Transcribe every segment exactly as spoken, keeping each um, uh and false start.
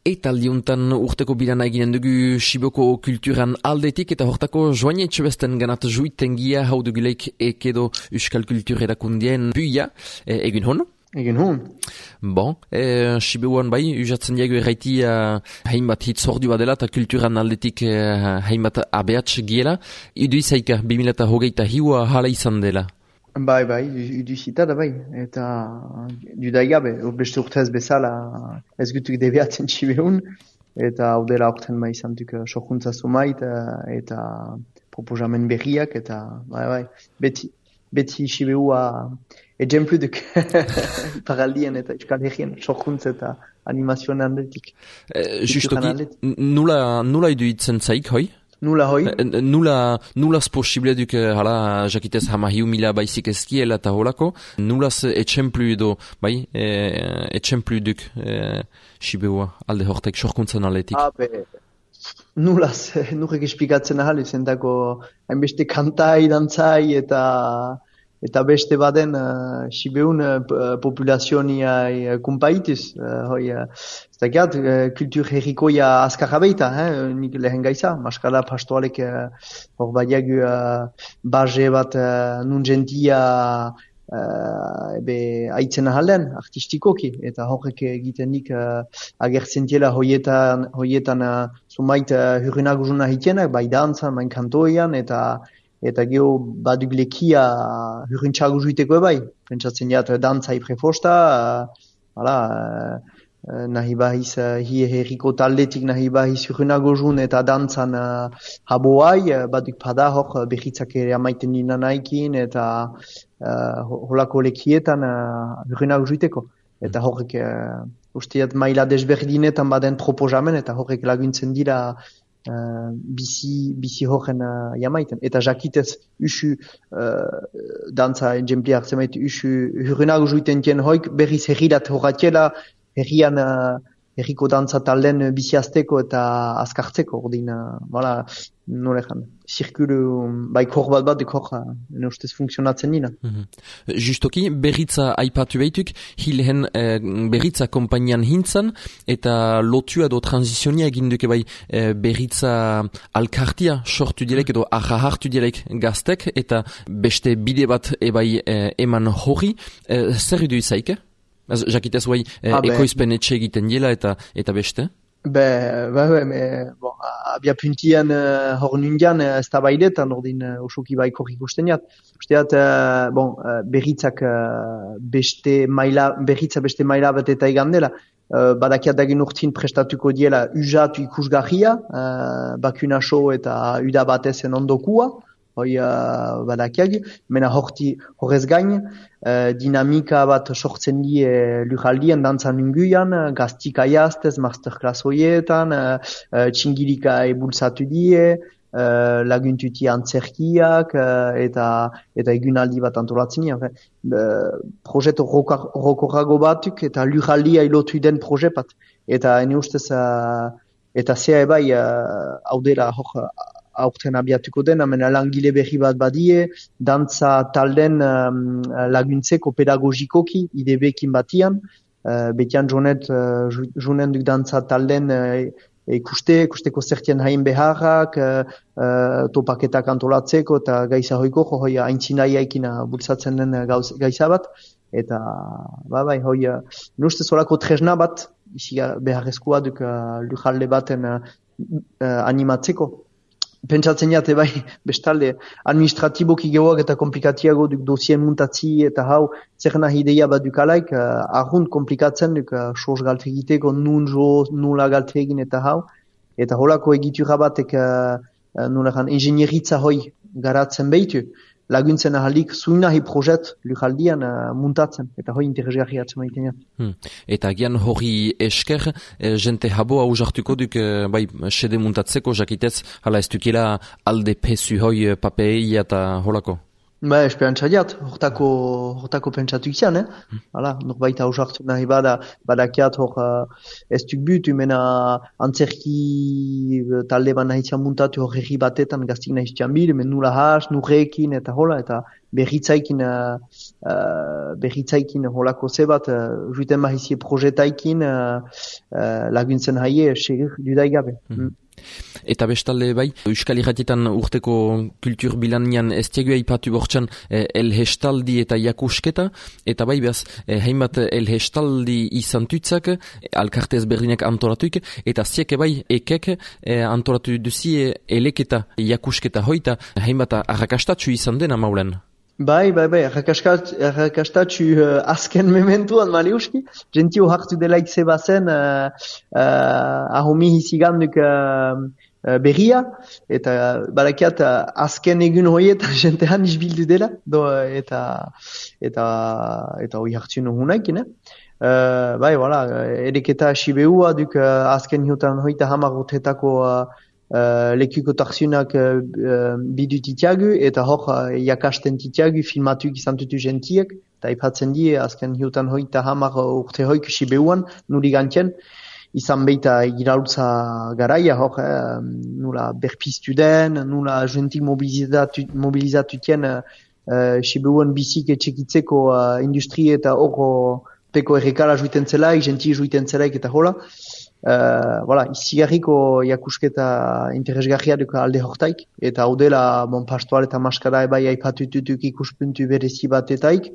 Eta aldiuntan urteko bilana eginen dugu Siboko kulturan aldetik eta hortako joan etxebesten ganat juitengia hau duguleik ekedo Euskal Kultur erakundien buia e, egin hon? Egin hon. Bon, e, Sibuan bai, usatzen diago erraiti uh, hainbat hitzordua dela eta kulturan aldetik uh, hainbat abeatx giela. Idu izaika, bi mila hogeita hiua hala izan dela. Bai, bai, iduzita da bai, eta dudai gabe, beste urtez bezala ez gutuk debiatzen Sibeun, eta hau dela urten bai izantuk sokuntza sumait, eta proposamen berriak, eta bai, bai, beti, beti Sibeua ejemplu duk paraldien eta Euskal Herrien sokuntza eta animazioan handetik. E, justoki, nula, nula iduitzen zaik, hoi? Nula hoi? Nula, nulaz posible duk, hala, jakitez hamahiu mila baizik ezkiela eta holako, nulaz etxemplu edo, bai, e, etxemplu duk e, Sibeua, alde hortek, sorkuntzan aletik. Ah, be, nulaz, nurek esplikatzen ahal, izendako hainbeste kantai, dantzai eta eta beste baden uh, Sibeun uh, populazionia uh, kumpaituz, uh, hoi, uh, ez dakiat, uh, kultur herrikoia azkarra beita, eh? Nik lehen gaiza, maskala pastoalek hor uh, badiagu uh, baje bat uh, nun gentia uh, ebe aitzen ahalen, artistikoki, eta horrek egiten nik uh, agertzen diela hoietan, hoietan uh, sumait uh, hurrenak uzuna hitienak, bai dantzan, bain kantoian, eta eta geho baduk lekia hurrintxago juiteko ebai. Pentsatzen jat, dantzai prefosta, hala, uh, nahi bahiz, uh, hi herriko taldetik nahi bahiz hurrenago jun eta dantzan uh, haboai, uh, baduk pada hor behitzak ere amaiten nina naikin, eta uh, holako lekietan uh, hurrenago juiteko. Eta horrek, uh, usteat maila desberdinetan baden proposamen, eta horrek laguntzen dira Uh, bizi, bizi horren uh, jamaiten. Eta jakitez usu uh, dantza ejempli hartzen baitu usu hurrenago juiten tien hoik berriz herrirat horratiela herrian uh, herriko dantza talden biziazteko eta azkartzeko ordin, uh, voilà, nolejan, zirkulu bai kor bat bat dekor uh, ne ustez funtzionatzen dina. Mm-hmm. Justoki, berritza aipatu behituk, hilhen eh, berritza kompainian hintzan, eta lotua edo transizionia egin duke bai eh, berritza alkartia sortu dilek edo arra hartu dilek gaztek, eta beste bide bat ebai eh, eman hori, eh, zer idu izaike? Jakitez guai, eh, ah, ekoizpen etxe egiten dela eta eta beste? Be, be, be, me, bon, abia puntian uh, hor nundian uh, ez da baidetan, ordin uh, osoki baikor ikusten jat. Usteat, uh, bon, uh, berritzak uh, beste maila, berritza beste maila bat eta egan dela. Uh, badakiat dagin urtin prestatuko diela usatu ikusgarria, uh, bakunaso eta uda batezen ondokua, hoi uh, badakiag, mena horti horrez gain, uh, dinamika bat sortzen die uh, lujaldien dantzan inguian, uh, gaztika jaztez, masterclass hoietan, uh, uh, txingirika ebulsatu die, uh, laguntuti antzerkiak, uh, eta eta egunaldi bat antolatzen dien. Uh, projeto rokorrago batuk eta lujaldia ilotu den proje bat. Eta ene ustez, uh, eta zea ebai, uh, hau dela hor, aurten abiatuko den, hemen langile berri bat badie, dantza talden um, laguntzeko pedagogikoki, idebekin batian, uh, betian jonet, uh, jonen duk dantza talden uh, ikuste, ikusteko zertien hain beharrak, uh, uh, topaketak antolatzeko, eta gaiza hoiko, hoi haintzinaiaikin bultzatzen den gauz, gaiza bat, eta, ba, bai, hoi, uh, nuste solako tresna bat, isi beharrezkoa duk uh, lujalde baten uh, uh, animatzeko. Pentsatzen jate bai, bestalde, administratiboki gehoak eta komplikatiago duk dosien muntatzi eta hau, zer nahi ideia bat dukalaik, uh, argunt komplikatzen duk uh, soz galtegiteko, nun jo, nula galtegin eta hau, eta holako egitura batek uh, uh, nulean ingenieritza hoi garatzen behitu, laguntzen ahalik zuin nahi projet lujaldian uh, muntatzen, eta hoi interesgarri atzen maiten ja. Hmm. Eta gian hori esker, eh, jente habo hau jartuko duk, eh, bai, sede muntatzeko, jakitez, hala ez dukela alde pesu hoi papei eta holako? Ba, esperantza diat, hortako, hortako pentsatu izan, eh? Hmm. Hala, norbait hau jartu nahi bada, badakiat hor uh, ez duk butu, mena antzerki talde ban nahi zian muntatu hor herri batetan gaztik nahi zian bil, men nula has, nurrekin eta hola, eta berritzaikin uh, uh, berritzaikin holako zebat, uh, juiten bahizie projetaikin uh, uh, laguntzen haie segur dudai gabe. Mm. Mm. Eta bestalde bai, Euskal Irratietan urteko kultur bilanian ez diegu aipatu bortxan eh, elhestaldi eta jakusketa, eta bai behaz, eh, hainbat elhestaldi izan tutzak, alkarte ezberdinak antolatuik, eta zieke bai ekek eh, antolatu duzie eleketa jakusketa hoita, hainbat arrakastatxu izan dena maulen. Bai, bai, bai, arrakastatxu uh, azken mementuan maliuski, gentio hartu delaik zebazen uh, uh, ahomi hiziganduk uh, uh, berria, eta uh, barakiat uh, azken egun hoietan jentean izbildu dela, do, eta eta eta hoi hartu nuhunaik, ne? Uh, bai, voilà, edeketa sibeua duk uh, azken hiotan hoita hamar urtetako uh, Uh, lekuko tarzunak uh, uh, bidu titiagu, eta hor uh, jakasten titiagu filmatuik izan tutu gentiek, eta ipatzen die, azken hiutan hoita hamar urte hoik sibeuan, nuri gantien, izan beita giralutza garaia, hor, eh, nula berpiztu den, nula gentik mobilizatu, mobilizatutien uh, sibeuan bizik etxekitzeko uh, industri eta hor peko errekala juiten zelaik, genti juiten zelaik eta hola. Uh, voilà, izigarriko jakusketa interesgarria duka alde hortaik, eta hau dela bon, pastoal eta maskara ebai aipatututuk ikuspuntu berezi batetaik,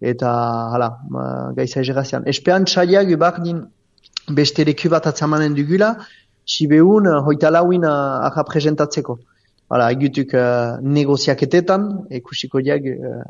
eta hala, gaiza egerazian. Espean txaiak ebardin beste leku bat atzamanen dugula, sibeun hoita lauin arra presentatzeko. Hala, egutuk uh, negoziaketetan, ikusiko diag uh,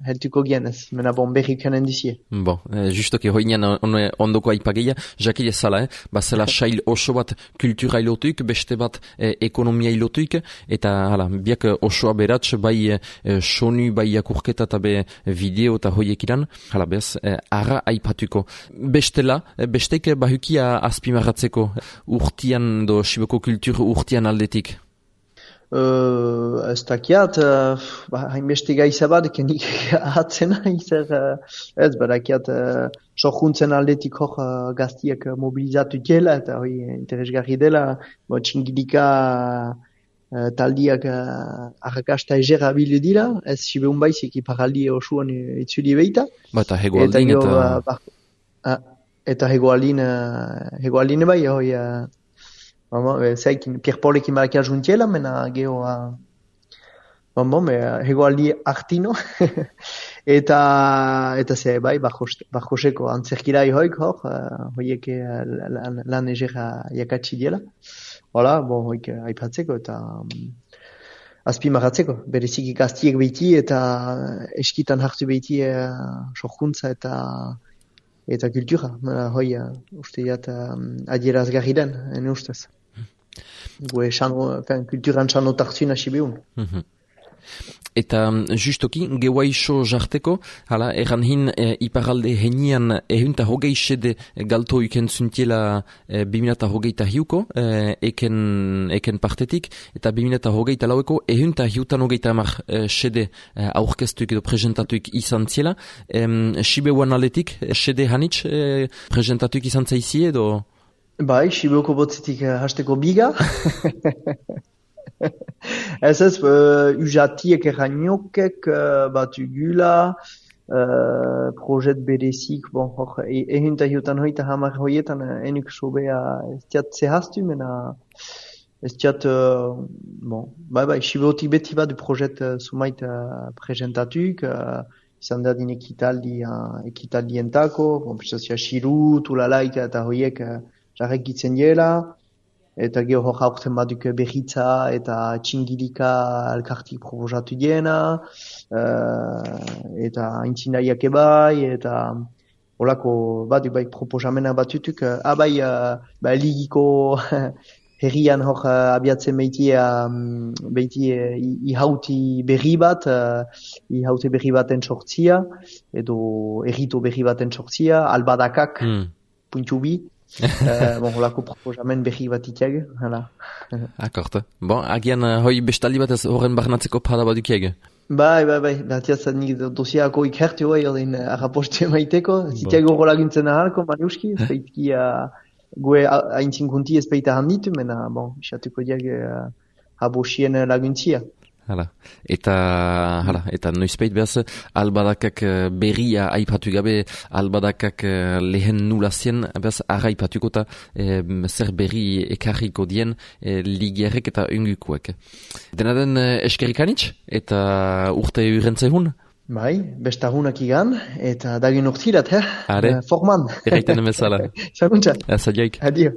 heltuko gienez, mena bon berrikanen dizie. Bon, eh, justoki hoinean on, ondoko aipageia, jakile zala, eh? Bazela sail oso bat kultura ilotuik, beste bat eh, ekonomia ilotuik, eta hala, biak osoa beratx, bai eh, sonu, bai jakurketa eta be video eta hoiek iran, hala bez, eh, ara aipatuko. Bestela, eh, besteik bahukia azpimarratzeko urtian, do Siboko kultur urtian aldetik. Uh, ez dakiat, uh, ba, hainbeste gaiza bat, kenik ahatzena izer, uh, ez badakiat, uh, sohuntzen aldetik hor uh, gaztiak mobilizatu dela, eta hoi interesgarri dela, bo, txingilika uh, taldiak uh, arrakasta egera bilu dira, ez sibeun baizik iparaldi osuan itzuli beita. Ba, eta hegoaldin eta... Eta, uh, bar, uh, eta hegoaldin, uh, hegoaldin bai, hoi... Uh, Zaikin, Pierre-Paulekin barakia juntiela, mena geho, bon, bon, hegoaldi artino, eta, eta ze, bai, barjoseko antzerkirai hoik, hor, hoiek lan, lan egera jakatsi diela. Hola, bon, hoik aipatzeko, eta um, azpimarratzeko, bereziki gaztiek behiti, eta eskitan hartu behiti uh, sorkuntza eta eta kultura. Hoi, uh, uste jat, um, adierazgarri den, ene ustez. Gue kulturan xano tartzuna sibeun. Mm-hmm. Eta justoki, gehuaixo jarteko, hala, erran hin e, iparalde henian ehunta hogei sede galto iken zuntiela e, biminata hogeita hiuko, e, eken, eken partetik, eta biminata hogeita laueko ehunta hiutan hogeita amar e, sede e, aurkeztuik edo presentatuik izan ziela. E, Sibeuan aletik, sede hanitz e, presentatuik izan zaizie edo... Bai, Sibeuko botzetik uh, hasteko biga. Ez ez, uh, ujatiek errainokek uh, bat ugula, uh, projet berezik, bon, hor, ehunta hiutan hoita hamar hoietan uh, enuk sobea ez tiat zehaztu, mena ez tiat, uh, bon, bai, bai, Sibeutik beti bat du projet uh, sumait uh, presentatuk, uh, izan da din ekitaldi, uh, ekitaldientako, bon, pistazia Shiru, Tulalaika eta hoiek, uh, jarrek gitzen diela, eta geho hor haurten baduk berritza eta txingilika elkartik proposatu diena, uh, eta intzinaiak ebai, eta holako baduk bai proposamena batutuk, uh, abai uh, ba, ligiko herrian hor uh, abiatzen behitie, um, behitie uh, ihauti berri bat, uh, ihauti berri baten sortzia, edo errito berri baten sortzia, albadakak, mm. puntu bi, uh, bon, holako proposamen berri bat itiag, hala. Akort. Bon, agian uh, hoi bestaldi bat ez horren barnatzeko pada bat dukiag. Bai, bai, bai, batiaz nik dosiako ikertu hoi, odin arrapostu emaiteko, zitiag horro laguntzen ahalko, maniuski, ez baitki, uh, gue haintzin kunti ez baita handitu, mena, bon, isatuko diag uh, habosien laguntzia. Hala. Eta, hala, eta noizpeit behaz, albadakak eh, berria aipatu gabe, albadakak eh, lehen nulazien, behaz, arra aipatuko eta eh, zer berri ekarriko dien eh, ligerrek eta ungukuek. Dena den eh, eskerikanitz, eta urte urentzehun? Bai, bestagunak igan, eta dagin urtirat, eh? Are? Uh, forman. Erraiten emezala. Zaguntza. Azadioik. Adio.